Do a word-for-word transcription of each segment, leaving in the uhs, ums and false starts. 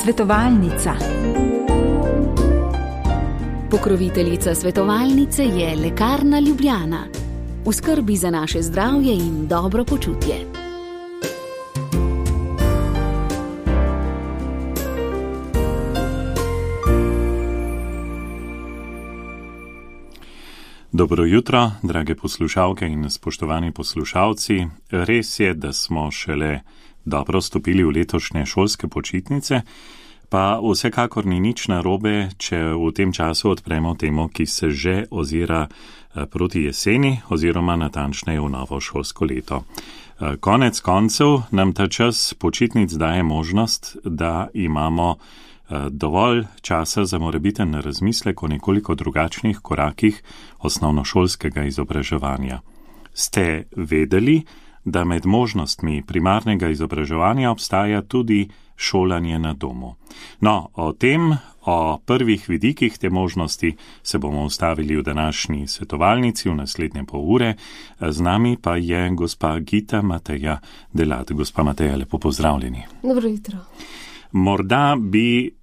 Svetovalnica. Pokroviteljica svetovalnice je Lekarna Ljubljana. V skrbi za naše zdravje in dobro počutje. Dobro jutro, drage poslušalke in spoštovani poslušalci. Res je, da smo šele dobro stopili v letošnje šolske počitnice, pa vsekakor ni nič narobe, če v tem času odpremo temo, ki se že ozira proti jeseni oziroma natančneje v novo šolsko leto. Konec koncev nam ta čas počitnic daje možnost, da imamo dovolj časa za morebiten razmislek o nekoliko drugačnih korakih osnovnošolskega izobraževanja. Ste vedeli, da med možnostmi primarnega izobraževanja obstaja tudi šolanje na domu? No, o tem, o prvih vidikih te možnosti se bomo ustavili v današnji svetovalnici v naslednje pol ure. Z nami pa je gospa Gita Mateja Delat. Gospa Mateja, lepo pozdravljeni. Dobro jutro. Morda bi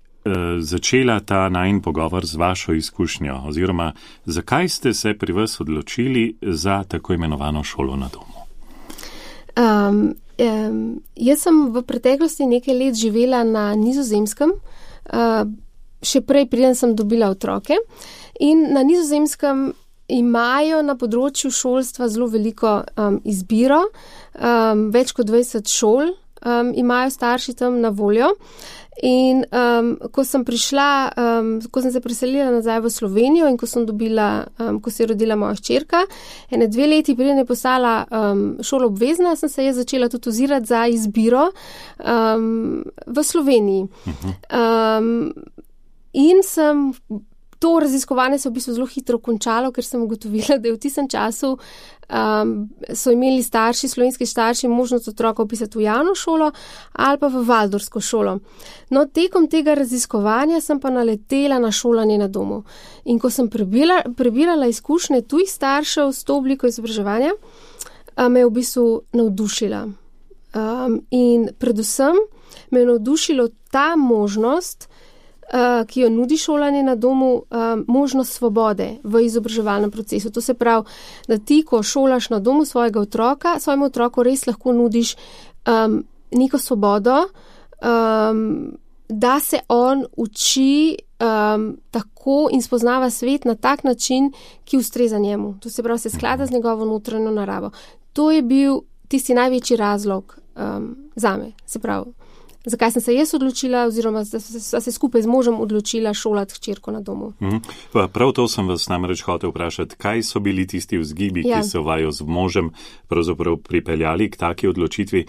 začela ta najin pogovor z vašo izkušnjo, oziroma zakaj ste se pri vas odločili za tako imenovano šolo na domu? Um, um, jaz sem v preteklosti nekaj let živela na Nizozemskem, uh, še prej preden sem dobila otroke, in na Nizozemskem imajo na področju šolstva zelo veliko um, izbiro, um, več kot dvajset šol um, imajo starši tam na voljo. In um, ko sem prišla, um, ko sem se preselila nazaj v Slovenijo in ko sem dobila, um, ko se je rodila moja hčerka, ene dve leti preden je postala um, šolo obvezna, sem se je začela tudi ozirati za izbiro um, v Sloveniji. Um, in sem to raziskovanje se v bistvu zelo hitro končalo, ker sem ugotovila, da je v tistem času um, so imeli starši, slovenski starši, možnost otroka upisati v javno šolo ali pa v valdorsko šolo. No, tekom tega raziskovanja sem pa naletela na šolanje na domu. In ko sem prebila, prebirala izkušnje tujih staršev s to obliko izobraževanja, me je v bistvu navdušila. Um, in predvsem me je navdušilo ta možnost, Uh, ki jo nudi šolanje na domu, uh, možnost svobode v izobraževalnem procesu. To se pravi, da ti, ko šolaš na domu svojega otroka, svojemu otroku res lahko nudiš um, neko svobodo, um, da se on uči um, tako in spoznava svet na tak način, ki ustreza njemu. To se pravi, se sklada z njegovo notranjo naravo. To je bil tisti največji razlog um, zame, se pravi. Zakaj sem se jaz odločila, oziroma da se skupaj z možem odločila šolati hčerko na domu. Mm. Prav to sem vas namreč hotel vprašati, kaj so bili tisti vzgibi, ja. ki so vaju z možem pravzaprav pripeljali k taki odločitvi,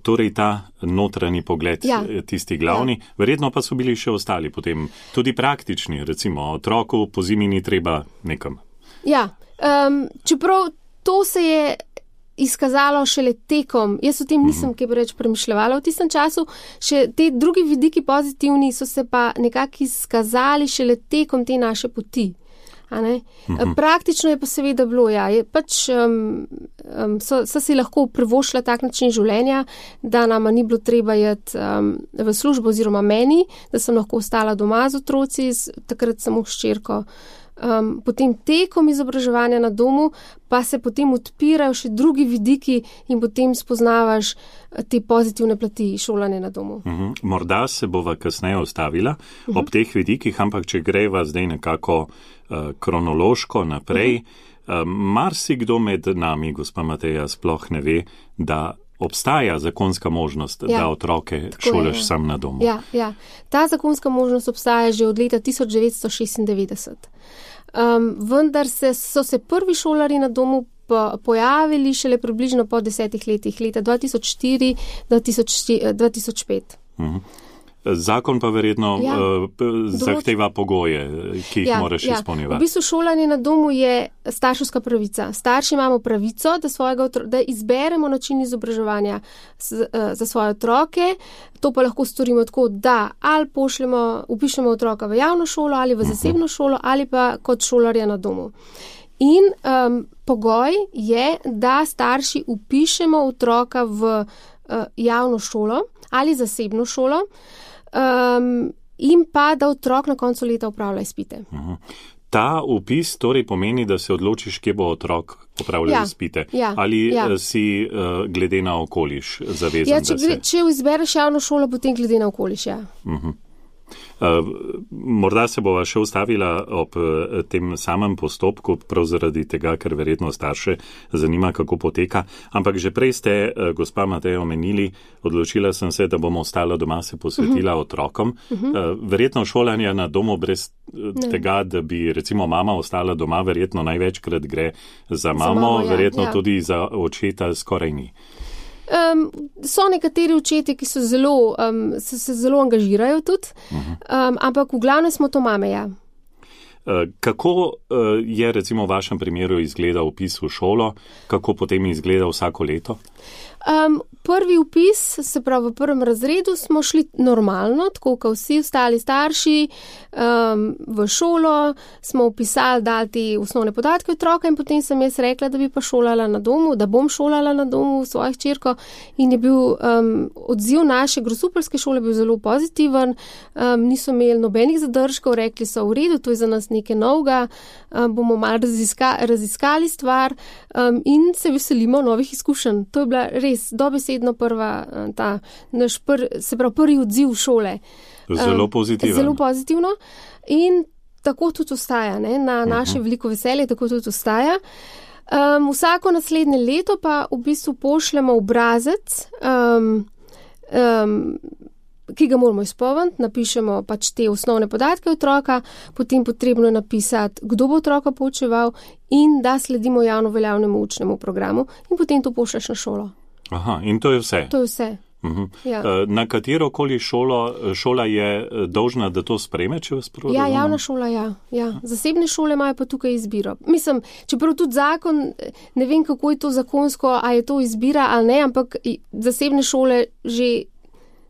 torej ta notranji pogled, ja. tisti glavni, ja. verjetno pa so bili še ostali potem tudi praktični, recimo otroku po zimi ni treba nekam. Ja, um, čeprav to se je izkazalo šele tekom, jaz o tem nisem kaj preveč premišljevala v tistem času, še te drugi vidiki pozitivni so se pa nekako izkazali šele tekom te naše poti. A ne? Mhm. Praktično je pa seveda bilo, ja, je pač um, um, so, so si lahko privoščila tak način življenja, da nama ni bilo treba jeti um, v službo oziroma meni, da sem lahko ostala doma z otroci, takrat samo s hčerko. Um, potem tekom izobraževanja na domu pa se potem odpirajo še drugi vidiki in potem spoznavaš te pozitivne plati šolanja na domu. Uhum. Morda se bova kasneje ostavila uhum. ob teh vidikih, ampak če greva zdaj nekako uh, kronološko naprej, uh, marsikdo med nami, gospa Mateja, sploh ne ve, da obstaja zakonska možnost, ja, da otroke šolaš sam na domu. Ja, ja. Ta zakonska možnost obstaja že od leta tisoč devetsto šestindevetdeset. Um, vendar se, so se prvi šolari na domu po, pojavili šele približno po desetih letih, leta dva tisoč štiri do dva tisoč pet. Mhm. Zakon pa verjetno ja, uh, zahteva pogoje, ki jih ja, moraš ja. izpolnjevati. V bistvu šolanje na domu je starševska pravica. Starši imamo pravico, da, svojega, da izberemo način izobraževanja z, uh, za svoje otroke. To pa lahko storimo tako, da ali pošljemo, upišemo otroka v javno šolo ali v zasebno uh-huh. šolo ali pa kot šolarja na domu. In um, pogoj je, da starši upišemo otroka v uh, javno šolo ali zasebno šolo. um, in pa, da otrok na koncu leta opravlja izpite. Uh-huh. Ta vpis torej pomeni, da se odločiš, kje bo otrok opravljal ja, izpite. Ja, Ali ja. si uh, glede na okoliš zavezan? Ja, če, da se... če izbereš javno šolo, potem glede na okoliš, ja. Uh-huh. Uh, morda se bova še ustavila ob uh, tem samem postopku, prav zaradi tega, ker verjetno starše zanima, kako poteka. Ampak že prej ste, uh, gospa Mateja, omenili, odločila sem se, da bom ostala doma, se posvetila uh-huh. otrokom. Uh-huh. Uh, verjetno šolanje na domu brez uh, tega, da bi recimo mama ostala doma, verjetno največkrat gre za mamo, za mamo ja, verjetno ja. Tudi za očeta skoraj ni. Um, so nekateri očetje, ki so zelo, um, se, se zelo angažirajo tudi, um, ampak v glavnem smo to mame, ja. Uh, kako uh, je recimo v vašem primeru izgledal vpis v šolo, kako potem izgleda vsako leto? Um, prvi vpis, se pravi v prvem razredu, smo šli normalno, tako kot vsi ostali starši, um, v šolo, smo upisali, dali te osnovne podatke otroka in potem sem jaz rekla, da bi pa šolala na domu, da bom šolala na domu svojih hčerko in je bil um, odziv naše grosupeljske šole bil zelo pozitiven, um, niso imeli nobenih zadržkov, rekli so v redu, to je za nas nekaj novega, um, bomo malo raziska, raziskali stvar um, in se veselimo novih izkušenj. To je bila res dobesedno prva, ta naš pr, se pravi prvi odziv šole. Zelo pozitivno. Zelo pozitivno in tako tudi ostaja, ne? Na naše uh-huh. veliko veselje tako tudi ostaja. Um, vsako naslednje leto pa v bistvu pošljemo obrazec, um, um, ki ga moramo izpolniti, napišemo pač te osnovne podatke otroka, potem potrebno je napisati, kdo bo otroka poučeval in da sledimo javno veljavnemu učnemu programu in potem to pošlješ na šolo. Aha, in to je vse? To je vse. Uh-huh. Ja. Na katerokoli šolo, šola je dolžna, da to sprejme, če vas prav Ja, razumem? javna šola, ja. ja. Zasebne šole imajo pa tukaj izbiro. Mislim, čeprav tudi zakon, ne vem, kako je to zakonsko, a je to izbira ali ne, ampak zasebne šole že,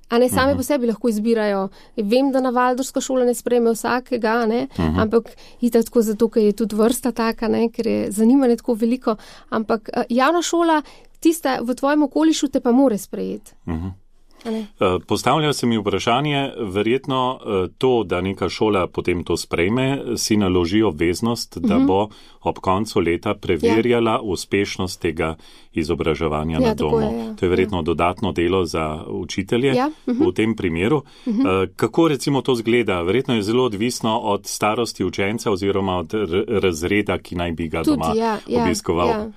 a ne same uh-huh. po sebi lahko izbirajo. Vem, da na Valdorska šola ne sprejme vsakega, ne, uh-huh. ampak itak tako zato, ker je tudi vrsta taka, ne, ker je zanimanje tako veliko, ampak javna šola tista v tvojem okolišu te pa more sprejeti. Uh-huh. Postavlja se mi vprašanje, verjetno to, da neka šola potem to sprejme, si naloži obveznost, da uh-huh. bo ob koncu leta preverjala ja. uspešnost tega izobraževanja ja, na domu. Je, ja. To je verjetno ja. dodatno delo za učitelje ja. uh-huh. v tem primeru. Uh-huh. Kako recimo to zgleda? Verjetno je zelo odvisno od starosti učenca oziroma od r- razreda, ki naj bi ga Tudi, doma ja, obiskoval. Ja, ja.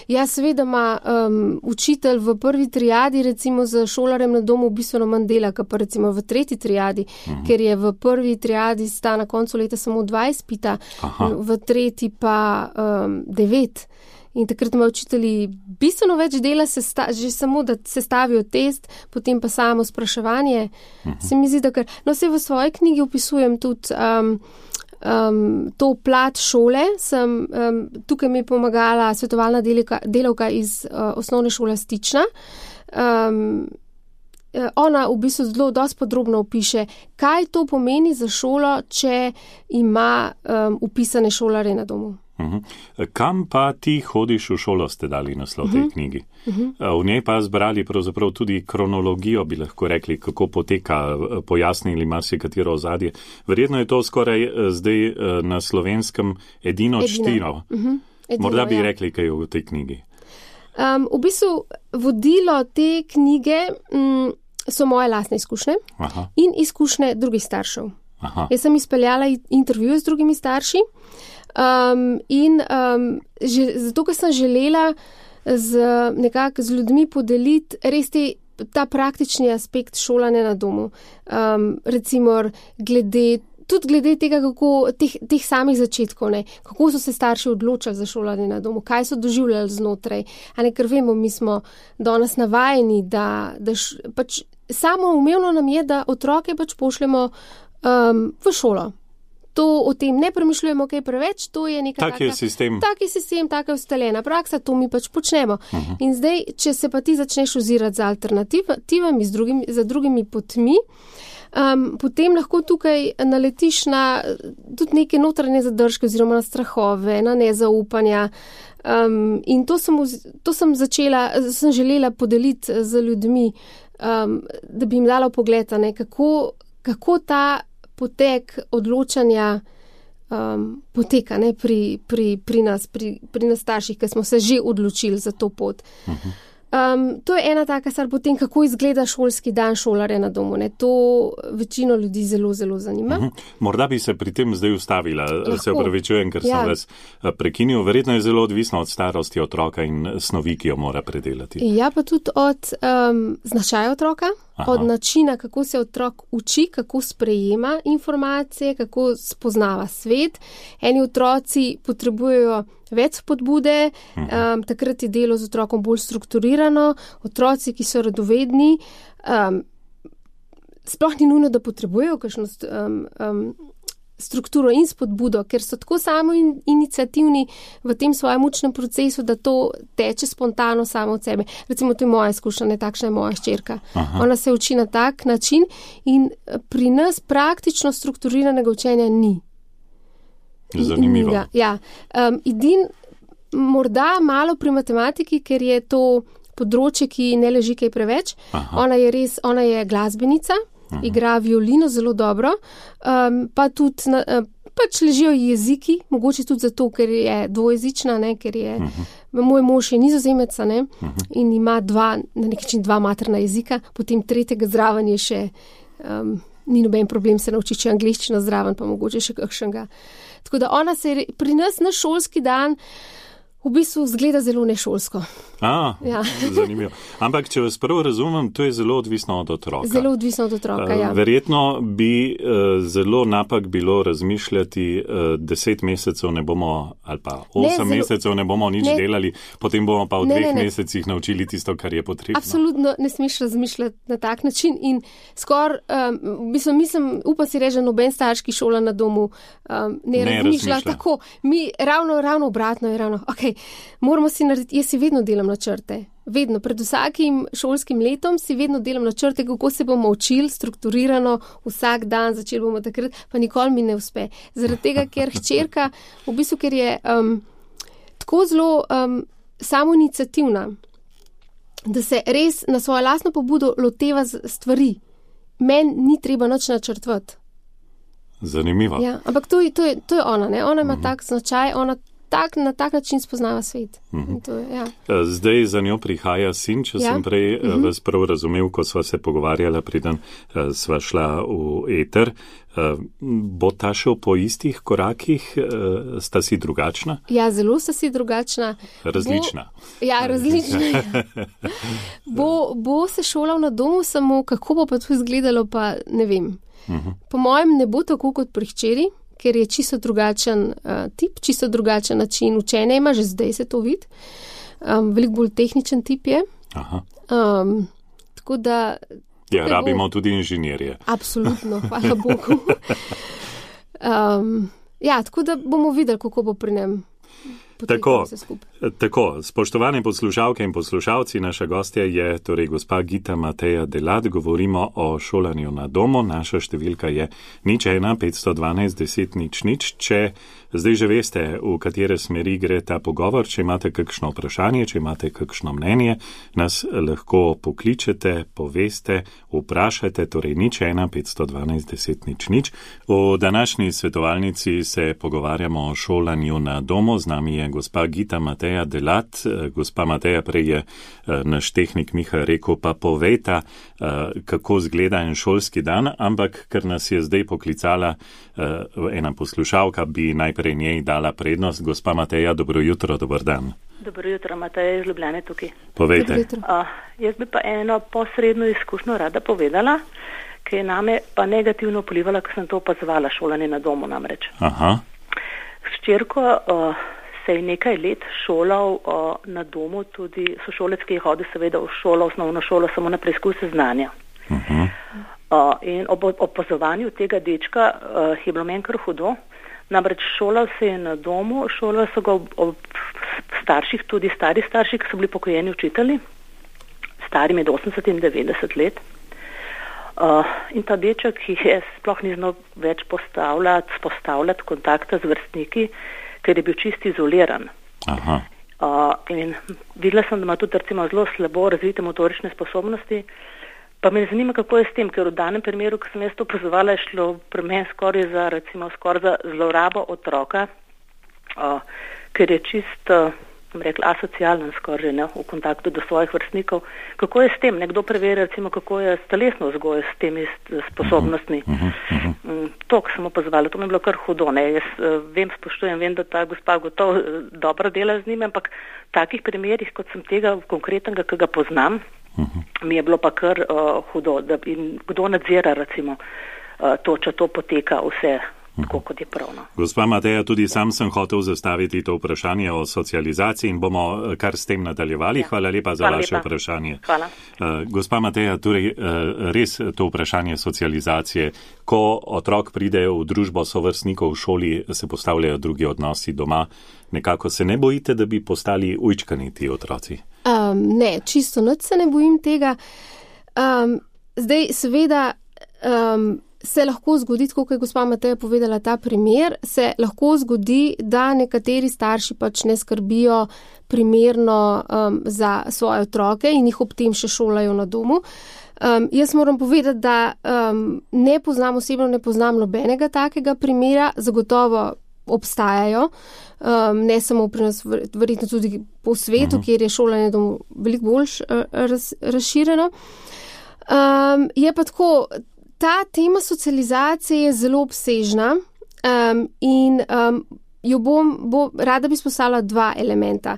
ja seveda ima um, učitelj v prvi triadi recimo za šolarjem na domu bistveno manj dela, kot pa recimo v tretji triadi, uh-huh. ker je v prvi triadi sta na koncu leta samo dva izpita, v tretji pa um, devet. In takrat ima učitelji bistveno več dela, sta, že samo, da se stavijo test, potem pa samo spraševanje. Uh-huh. Se mi zdi, da kar... No, se v svoji knjigi opisujem tudi um, um, to plat šole. Sem, um, tukaj mi je pomagala svetovalna delavka, delavka iz uh, osnovne šole Stična. Um, Ona v bistvu zelo dosti podrobno opiše, kaj to pomeni za šolo, če ima um, upisane šolare na domu. Uh-huh. Kam pa ti hodiš v šolo, ste dali naslov tej uh-huh. knjigi? Uh-huh. V njej pa zbrali pravzaprav tudi kronologijo, bi lahko rekli, kako poteka, pojasnili marsikatero ozadje. Verjetno je to skoraj zdaj na Slovenskem edino čtino. Uh-huh. Morda bi ja. rekli, kaj je v tej knjigi. Um, v bistvu vodilo te knjige um, so moje lastne izkušnje Aha. in izkušnje drugih staršev. Aha. Jaz sem izpeljala intervjuje z drugimi starši um, in um, že, zato, ker sem želela z, nekako z ljudmi podeliti res te, ta praktični aspekt šolanja na domu. Um, recimo glede Tudi glede tega, kako, teh, teh samih začetkov, ne, kako so se starši odločali za šolanje na domu, kaj so doživljali znotraj. A ne, ker vemo, mi smo danes navajeni, da, da š, pač samo umevno nam je, da otroke pač pošljemo um, v šolo. To o tem ne premišljujemo kaj preveč, to je neka tak taka, sistem. taki sistem, taka ustaljena praksa, to mi pač počnemo. Uh-huh. In zdaj, če se pa ti začneš ozirati za alternativami, z drugimi, za drugimi potmi, Um, potem lahko tukaj naletiš na tudi neke notranje zadržke oziroma na strahove, na nezaupanja. Um, in to sem, to sem začela, sem želela podeliti z ljudmi, um, da bi jim dala pogled, ne, kako, kako ta potek odločanja um, poteka ne, pri, pri, pri nas, pri, pri nas starših, ki smo se že odločili za to pot. Uh-huh. Um, to je ena taka stvar, potem kako izgleda šolski dan šolarja na domu. Ne? To večino ljudi zelo, zelo zanima. Uh-huh. Morda bi se pri tem zdaj ustavila, lahko. Se opravičujem, ker ja. sem vas prekinil. Verjetno je zelo odvisno od starosti otroka in snovi, ki jo mora predelati. Ja, pa tudi od um, značaja otroka, Aha. od načina, kako se otrok uči, kako sprejema informacije, kako spoznava svet. Eni otroci potrebujejo več spodbude, um, takrat je delo z otrokom bolj strukturirano, otroci, ki so radovedni, um, sploh ni nujno, da potrebujejo kakšno um, um, strukturo in spodbudo, ker so tako samo in, iniciativni v tem svojem učnem procesu, da to teče spontano samo od sebe. Recimo, to je moja izkušnja, takšna je moja hčerka. Ona se uči na tak način in pri nas praktično strukturiranega učenja ni. Zanimivo. In, ja, um, edin morda malo pri matematiki, ker je to področje, ki ne leži kaj preveč. Aha. Ona je res, ona je glasbenica, Aha. igra violino zelo dobro, um, pa tudi na, pač ležijo jeziki, mogoče tudi zato, ker je dvojezična, ne, ker je, Aha. moj mož je Nizozemec, ne, in ima dva, na nek način dva materna jezika, potem tretjega zraven je še, um, ni noben problem se naučiti angleščino zraven, pa mogoče še kakšnega. Tako da ona se pri nas na šolski dan v bistvu zgleda zelo nešolsko. A, ja. Zanimivo. Ampak, če vas prvo razumem, to je zelo odvisno od otroka. Zelo odvisno od otroka, ja. Verjetno bi uh, zelo napak bilo razmišljati, uh, deset mesecev ne bomo, ali pa osem ne, zelo, mesecev ne bomo nič ne, delali, potem bomo pa v ne, dveh ne, ne. mesecih naučili tisto, kar je potrebno. Absolutno ne smeš razmišljati na tak način in skor, um, mislim, mislim, upam si reči, noben starš, ki šola na domu, um, ne, ne razmišlja tako. Mi ravno, ravno obratno je ravno, ok, moramo si narediti, jaz si vedno delam načrte. Vedno, pred vsakim šolskim letom si vedno delam načrte, kako se bomo učili strukturirano vsak dan, začeli bomo takrat, pa nikoli mi ne uspe. Zaradi tega, ker hčerka, v bistvu, ker je um, tako zelo um, samoiniciativna, da se res na svojo lastno pobudo loteva stvari. Meni ni treba nič načrtvati. Zanimivo. Ja, ampak to, to, je, to je ona, ne? Ona ima mm-hmm. tak značaj, ona Tak, na tak način spoznava svet. Uh-huh. To, ja. Zdaj za njo prihaja sin, če ja. sem prej uh-huh. vas prav razumel, ko sva se pogovarjala, preden uh, sva šla v eter. Uh, bo ta šel po istih korakih? Uh, sta si drugačna? Ja, zelo sta si drugačna. Različna. Bo, ja, različna. bo, bo se šolal na domu, samo kako bo pa to izgledalo, pa ne vem. Uh-huh. Po mojem ne bo tako kot pri hčeri, ker je čisto drugačen uh, tip, čisto drugačen način učenja ima, že zdaj se to vidi. Um, veliko bolj tehničen tip je. Aha. Um, tako da... Ja, rabimo bo... tudi inženirje. Absolutno, hvala Bogu. um, ja, tako da bomo videli, kako bo pri njem. Tako, tako, spoštovane poslušalke in poslušalci, naša gostja je torej gospa Gita Mateja Delat, govorimo o šolanju na domu, naša številka je nič ena petsto dvanajst deset nič nič, če zdaj že veste, v katere smeri gre ta pogovor, če imate kakšno vprašanje, če imate kakšno mnenje, nas lahko pokličete, poveste, vprašajte, torej nič ena petsto dvanajst deset nič nič. V današnji svetovalnici se pogovarjamo o šolanju na domu, z nami je gospa Gita Mateja Delat. Gospa Mateja, prej je naš tehnik Miha rekel, pa povejta, kako zgleda en šolski dan, ampak ker nas je zdaj poklicala ena poslušalka, bi najprej njej dala prednost. Gospa Mateja, dobro jutro, dober dan. Dobro jutro, Mateja iz Ljubljane tukaj. Povejte. Uh, jaz bi pa eno posredno izkušnjo rada povedala, ki je name pa negativno vplivala, ko sem to opazovala, šolanje na domu namreč. Aha. S hčerko uh, se je nekaj let šolal uh, na domu, tudi sošolec, ki je hodil seveda v šolo, osnovno šolo, samo na preizkuse znanja. Uh-huh. Uh, in ob opazovanju tega dečka uh, je bilo meni kar hudo. Namreč šolal se je na domu, šolal so ga ob, ob starših, tudi stari starši, ki so bili pokojeni učitelji, stari med osemdeset in devetdeset let. Uh, in ta deček je sploh ni znal več postavljati, postavljati kontakta z vrstniki, ker je bil čisti izoliran. Aha. Uh, in videla sem, da ima tudi recimo zelo slabo razvite motorične sposobnosti, Pa me zanima, kako je s tem, ker v danem primeru, ko sem jaz to opazovala, je šlo pri meni skoraj za, recimo, skoraj za zlorabo otroka, uh, ker je čisto, bom rekla, asocialen skoraj, ne, v kontaktu do svojih vrstnikov. Kako je s tem? Nekdo preveri, recimo, kako je s telesno vzgojo, s temi sposobnostmi. Uh-huh, uh-huh. Um, to, ko sem opazovala, to mi je bilo kar hudo. Ne. Jaz uh, vem, spoštujem, vem, da ta gospa gotovo uh, dobro dela z njim, ampak v takih primerih, kot sem tega konkretnega, ki ga poznam, uh-huh. mi je bilo pa kar uh, hudo. Da, in kdo nadzira, recimo, uh, to, če to poteka vse tako, kot je pravno. Gospa Mateja, tudi sam sem hotel zastaviti to vprašanje o socializaciji in bomo kar s tem nadaljevali. Hvala lepa za Hvala vaše lepa. vprašanje. Hvala. Uh, gospa Mateja, torej uh, res to vprašanje socializacije. Ko otrok pride v družbo sovrstnikov v šoli, se postavljajo drugi odnosi doma. Nekako se ne bojite, da bi postali ujčkani ti otroci? Um, ne, čisto nič se ne bojim tega. Um, zdaj, seveda, um, se lahko zgodi, kot je gospa Mateja povedala ta primer, se lahko zgodi, da nekateri starši pač ne skrbijo primerno um, za svoje otroke in jih ob tem še šolajo na domu. Um, jaz moram povedati, da um, ne poznam osebno, ne poznam nobenega takega primera, zagotovo obstajajo, um, ne samo pri nas, verjetno tudi po svetu, uh-huh. kjer je šolanje domu veliko bolj raz, razširjeno. Um, je pa tako, ta tema socializacije je zelo obsežna um, in um, jo bom, bo, rada bi izpostavila dva elementa.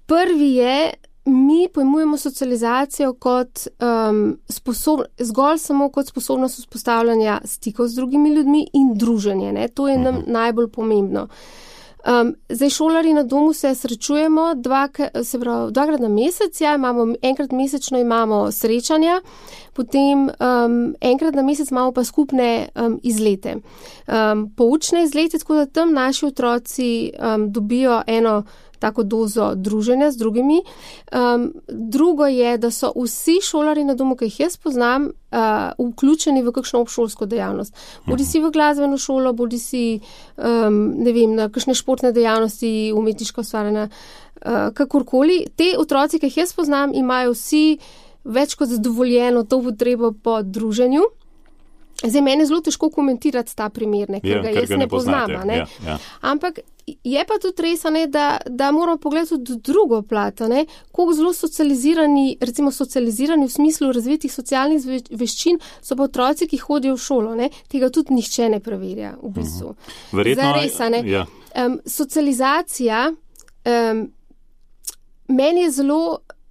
Prvi je, mi pojmujemo socializacijo kot um, sposob, zgolj samo kot sposobnost vzpostavljanja stikov z drugimi ljudmi in druženje. Ne? To je nam najbolj pomembno. Um, zdaj šolari na domu se srečujemo dva, se pravi, dvakrat na mesec, ja, imamo, enkrat mesečno imamo srečanja, potem um, enkrat na mesec imamo pa skupne um, izlete. Um, poučne izlete, tako da tam naši otroci um, dobijo eno tako dozo druženja z drugimi. Um, drugo je, da so vsi šolari na domu, ki jih jaz poznam, uh, vključeni v kakšno obšolsko dejavnost. Bodi si v glasbeno šolo, bodi si um, ne vem, na kakšne športne dejavnosti, umetniška ustvarjanja, uh, kakorkoli. Te otroci, ki jih jaz poznam, imajo vsi več kot zadovoljeno to potrebo po druženju. Zdaj, meni je zelo težko komentirati ta primer, ne, ker ja, ga jaz ga ne, ne poznam. Ne. Ja, ja. Ampak je pa tudi res, ne, da, da moramo pogledati tudi drugo plat, koliko zelo socializirani, recimo socializirani v smislu razvitih socialnih veščin so pa otroci, ki hodijo v šolo. Ne. Tega tudi nihče ne preverja v bistvu. Verjetno, Zares, ne. Ja. Um, socializacija, um, meni je zelo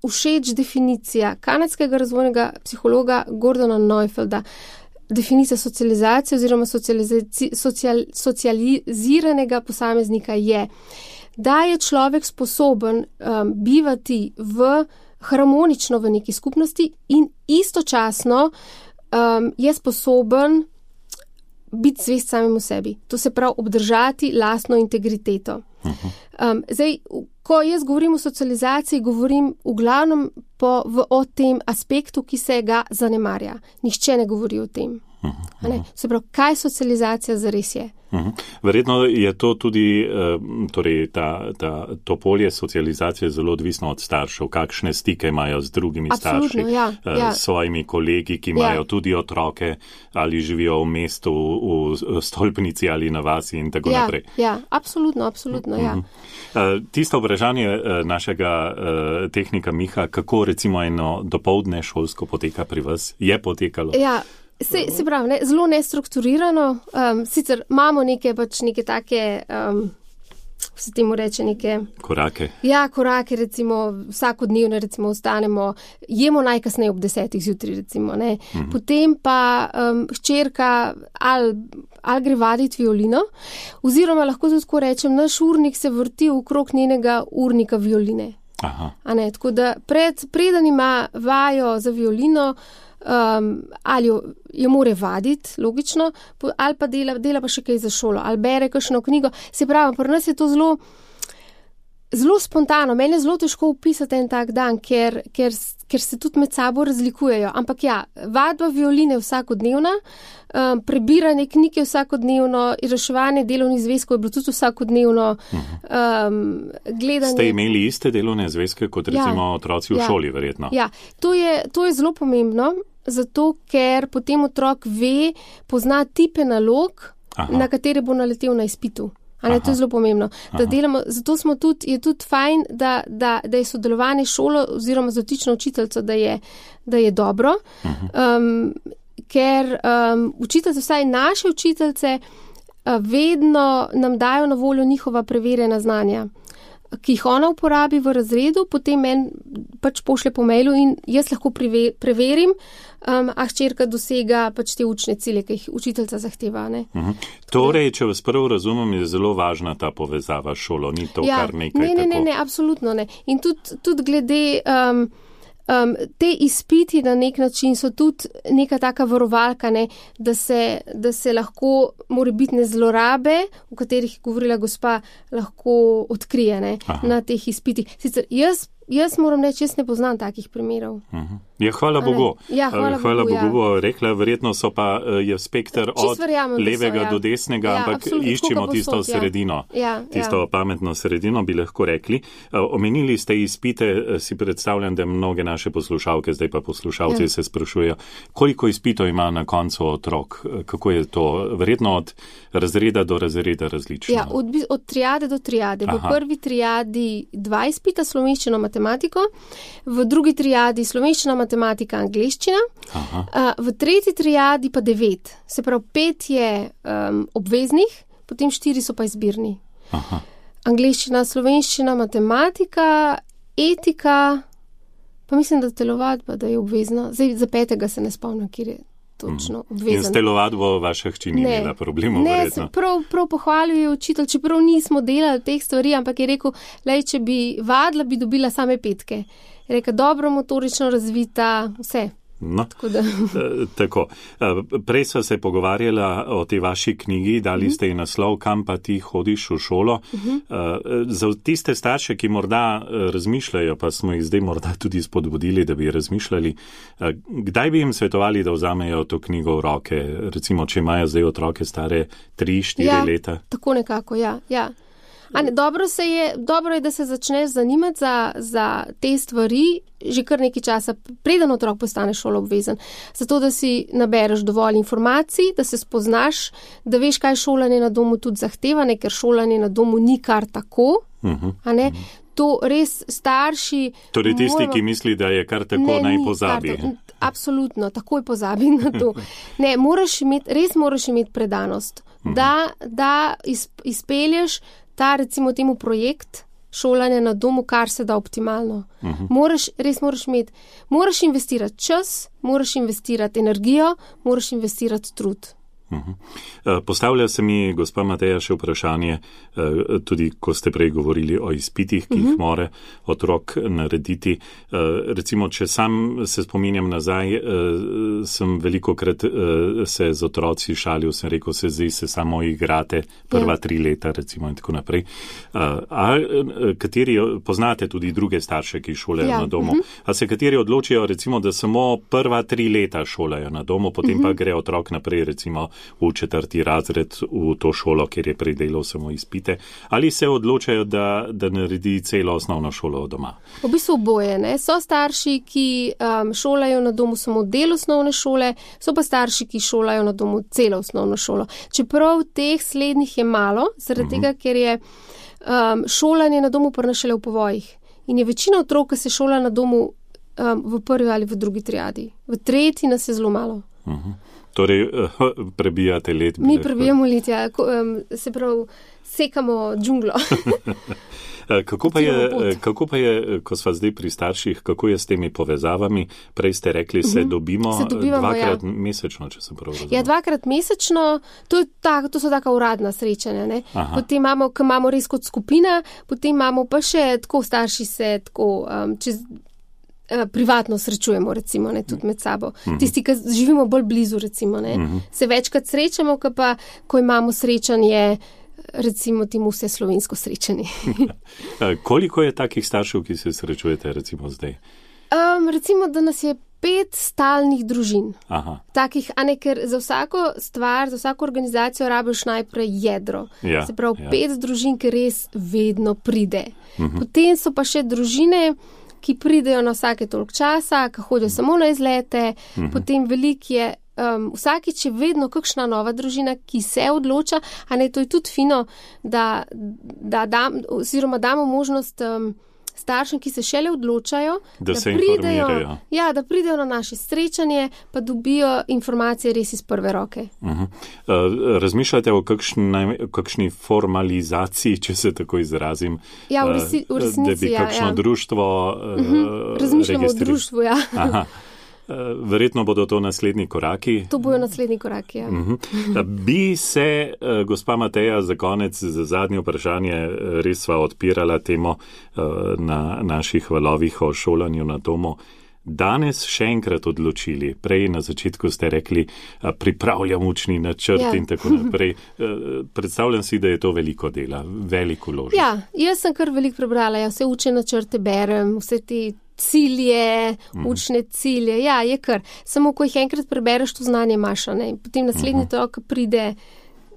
všeč definicija kanadskega razvojnega psihologa Gordona Neufelda. Definicija socializacije oziroma socializaci, social, socializiranega posameznika je, da je človek sposoben um, bivati v harmonično v neki skupnosti in istočasno um, je sposoben biti zvest samemu sebi. To se pravi obdržati lastno integriteto. Um, zdaj, ko jaz govorim o socializaciji, govorim v glavnem po, v, o tem aspektu, ki se ga zanemarja. Nihče ne govori o tem. Ne? Se pravi, kaj socializacija zares je? Verjetno je to tudi, torej ta, ta, to polje socializacije zelo odvisno od staršev, kakšne stike imajo z drugimi Absolutno, starši, ja, ja. s svojimi kolegi, ki imajo ja. tudi otroke ali živijo v mestu, v stolpnici ali na vasi in tako ja, naprej. Ja, absolutno, absolutno, ja. Tisto vprašanje našega tehnika Miha, kako recimo eno dopoldne šolsko poteka pri vas, je potekalo? Ja. Se, se pravi, ne, zelo nestrukturirano, um, sicer imamo neke, pač neke take, um, se temu reče, neke... Korake. Ja, korake, recimo, vsakodnevno, recimo, ostanemo, jemo najkasneje ob desetih zjutraj, recimo, ne. Mhm. Potem pa um, hčerka ali, ali gre vaditi violino, oziroma lahko tudi tako rečem, naš urnik se vrti okrog njenega urnika violine. Aha. A ne, tako da pred, preden ima vajo za violino, Um, ali jo, jo more vaditi, logično, ali pa dela, dela pa še kaj za šolo, ali bere kakšno knjigo. Se pravi, pri nas je to zelo, zelo spontano. Meni je zelo težko opisati en tak dan, ker, ker, ker se tudi med sabo razlikujejo. Ampak ja, vadba violine vsakodnevna, um, prebiranje knjige vsakodnevno, reševanje delovnih zvezkov je bilo tudi vsakodnevno. Um, gledanje... Ste imeli iste delovne zvezke kot recimo ja, otroci v ja, šoli, verjetno? Ja, to je, to je zelo pomembno. zato ker potem otrok ve, pozna tipe nalog, Aha. na katere bo naletel na izpitu. Ali to je zelo pomembno. Da delamo, zato smo tudi, je tudi fajn, da, da, da je sodelovanje šolo oziroma z dotično učiteljico, da je, da je dobro, um, ker um, učiteljice, vsaj naše učiteljice, vedno nam dajo na voljo njihova preverjena znanja, ki jih ona uporabi v razredu, potem meni pač pošlje po mailu in jaz lahko preve, preverim, um, a hčerka dosega pač te učne cilje, ki jih učiteljica zahteva. Ne? Uh-huh. Torej, če vas prvo razumem, je zelo važna ta povezava s šolo, ni to ja, kar nekaj ne, ne, tako. Ne, ne, absolutno ne. In tudi, tudi glede um, um, te izpiti na nek način so tudi neka taka varovalka, ne, da, se, da se lahko morebitne zlorabe, o katerih je govorila gospa, lahko odkrije ne, na teh izpitih. Sicer jaz Jaz moram reči, jaz ne poznam takih primerov. Uh-huh. Ja, hvala Bogu. Ja, hvala, hvala Bogu, Bogu ja. bo rekla, verjetno so pa je spektr od verjamem, levega so, ja. do desnega, ja, ampak iščemo tisto posod, sredino. Ja. Tisto ja. pametno sredino bi lahko rekli. Omenili ste izpite, si predstavljam, da mnoge naše poslušalke, zdaj pa poslušalci ja. se sprašujejo, koliko izpitov ima na koncu otrok? Kako je to? Verjetno od razreda do razreda različno. Ja, od, od triade do triade. Aha. V prvi triadi dva izpita, slovenščino, matematiko, v drugi triadi slovenščina, matematika, angleščina, Aha. v tretji triadi pa devet. Se pravi, pet je um, obveznih, potem štiri so pa izbirni. Aha. Angleščina, slovenščina, matematika, etika, pa mislim, da telovadba, da je obvezna. Zdaj, za petega se ne spomnim, kjer je točno obvezen. In s telovadbo vaša hči ni imela problemov, verjetno. Ne, prav, prav pohvaljuje učitelj, čeprav nismo delali teh stvari, ampak je rekel, lej, če bi vadila, bi dobila same petke. Je rekel, dobro motorično razvita, vse. No, tako. Da. Tako. Prej sva se pogovarjala o tej vaši knjigi, dali uh-huh. ste ji naslov, kam pa ti hodiš v šolo. Uh-huh. Za tiste starše, ki morda razmišljajo, pa smo jih zdaj morda tudi spodbudili, da bi razmišljali, kdaj bi jim svetovali, da vzamejo to knjigo v roke, recimo, če imajo zdaj otroke stare tri, štiri ja, leta? Tako nekako, ja, ja. Ne, dobro, se je, dobro je, da se začneš zanimati za, za te stvari že kar nekaj časa, preden otrok postane šoloobvezen. Zato, da si nabereš dovolj informacij, da se spoznaš, da veš, kaj šolanje na domu tudi zahteva, ne, ker šolanje na domu ni kar tako. Uh-huh. A ne? Uh-huh. To res starši... Torej tisti, moramo... ki misli, da je kar tako, ne, naj pozabi. Kar, absolutno, takoj pozabi na to. Ne, moraš imeti, res moraš imeti predanost, uh-huh. da, da izpelješ ta, recimo temu projekt šolanja na domu, kar se da optimalno. Uh-huh. Moraš, res moraš imeti, moraš investirati čas, moraš investirati energijo, moraš investirati trud. Uh-huh. Postavlja se mi, gospa Mateja, še vprašanje, tudi ko ste prej govorili o izpitih, ki uh-huh. jih mora otrok narediti. Recimo, če sam se spominjam nazaj, sem velikokrat se z otroci šalil, sem rekel, se zdaj se samo igrate prva ja. tri leta, recimo in tako naprej. A kateri, poznate tudi druge starše, ki šolajo ja. na domu, uh-huh. a se kateri odločijo, recimo, da samo prva tri leta šolajo na domu, potem uh-huh. pa gre otrok naprej, recimo, v četrti razred v to šolo, kjer je predelal samo izpite, ali se odločajo, da, da naredi celo osnovno šolo doma? V bistvu oboje, ne. So starši, ki um, šolajo na domu samo del osnovne šole, so pa starši, ki šolajo na domu celo osnovno šolo. Čeprav teh slednjih je malo, zaradi uh-huh. tega, ker je um, šolanje na domu prinašale v povojih. In je večina otrok, ki se šola na domu um, v prvi ali v drugi triadi. V tretji nas je zelo malo. Uh-huh. Torej, prebijate let. Mi prebijamo let, ja. Se pravi, sekamo džunglo. kako, pa je, kako pa je, ko sva zdaj pri starših, kako je s temi povezavami? Prej ste rekli, se uh-huh. dobimo se dvakrat ja. mesečno, če sem prav razumel. Ja, dvakrat mesečno, to, tak, to so taka uradna srečanja. Ne? Potem imamo, ko imamo res kot skupina, potem imamo pa še tako starši se tako um, čez... privatno srečujemo, recimo, ne, tudi med sabo. Uh-huh. Tisti, ki živimo bolj blizu, recimo, ne, uh-huh. se večkrat srečamo, ko pa, ko imamo srečanje, recimo, temu vse slovensko srečanje. Koliko je takih staršev, ki se srečujete, recimo, zdaj? Um, recimo, da nas je pet stalnih družin. Aha. Takih, a ne, ker za vsako stvar, za vsako organizacijo rabiš najprej jedro. Ja, se pravi, ja. pet družin, ki res vedno pride. Uh-huh. Potem so pa še družine, ki pridejo na vsake toliko časa, ki hodijo samo na izlete, uh-huh. potem veliko je, um, vsakič je vedno kakšna nova družina, ki se odloča, a ne, to je tudi fino, da, da dam, oziroma damo možnost um, staršem, ki se šele odločajo, da, da, se pridejo, ja, da pridejo na naše srečanje, pa dobijo informacije res iz prve roke. Uh-huh. Uh, razmišljate o kakšni, kakšni formalizaciji, če se tako izrazim? Ja, v, resi, v resnici, da bi kakšno ja, ja. društvo uh, uh-huh. Razmišljamo o društvu, ja. Aha. Verjetno bodo to naslednji koraki. To bojo naslednji koraki, ja. Uh-huh. Bi se, gospa Mateja, za konec, za zadnje vprašanje, res sva odpirala temo na naših valovih o šolanju na domu, danes še enkrat odločili? Prej na začetku ste rekli, pripravljam učni načrt ja. in tako naprej. Predstavljam si, da je to veliko dela, veliko vložek. Ja, jaz sem kar veliko prebrala, ja, vse učne načrte berem, vse te cilje, učne cilje, ja, je kar. Samo, ko jih enkrat prebereš, to znanje imaš, ne? Potem naslednji uh-huh. to, ko pride,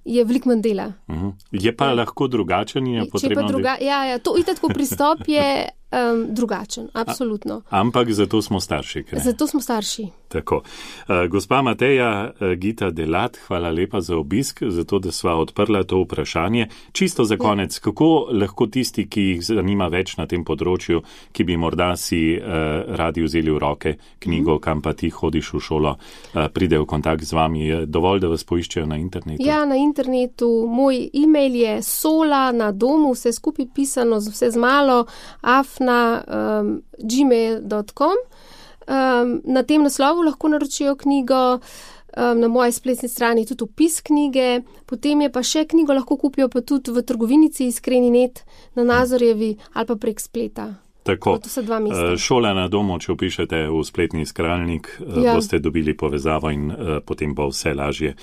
je veliko manj dela. Uh-huh. Je pa ja. lahko drugačen in je potrebno... Druga... Ja, ja, to itak, ko pristop je um, drugačen, absolutno. A, ampak zato smo starši, kaj? Zato smo starši. Tako. Uh, gospa Mateja Gita Delat, hvala lepa za obisk, zato, da sva odprla to vprašanje. Čisto za konec, ja. kako lahko tisti, ki jih zanima več na tem področju, ki bi morda si uh, radi vzeli v roke knjigo, mm. kam pa ti hodiš v šolo, uh, pride v kontakt z vami, je dovolj, da vas poiščejo na internetu? Ja, na internetu. Moj e-mail je sola na domu, vse skupaj pisano, vse z malo, afna um, gmail dot com. Um, na tem naslovu lahko naročijo knjigo, um, na moji spletni strani tudi opis knjige, potem je pa še knjigo lahko kupijo pa tudi v trgovinici Iskreni net na Nazorjevi ali pa prek spleta. Tako, to so dva mesta. Šola na domu, če upišete v spletni iskalnik, ja. boste dobili povezavo in uh, potem bo vse lažje.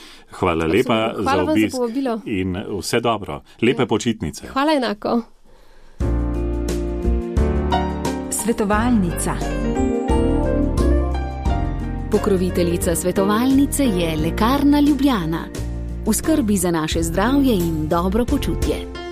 Hvala Absolutno. lepa Hvala za obisk za in vse dobro. Lepe ja. počitnice. Hvala enako. Svetovalnica. Pokroviteljica svetovalnice je Lekarna Ljubljana. V skrbi za naše zdravje in dobro počutje.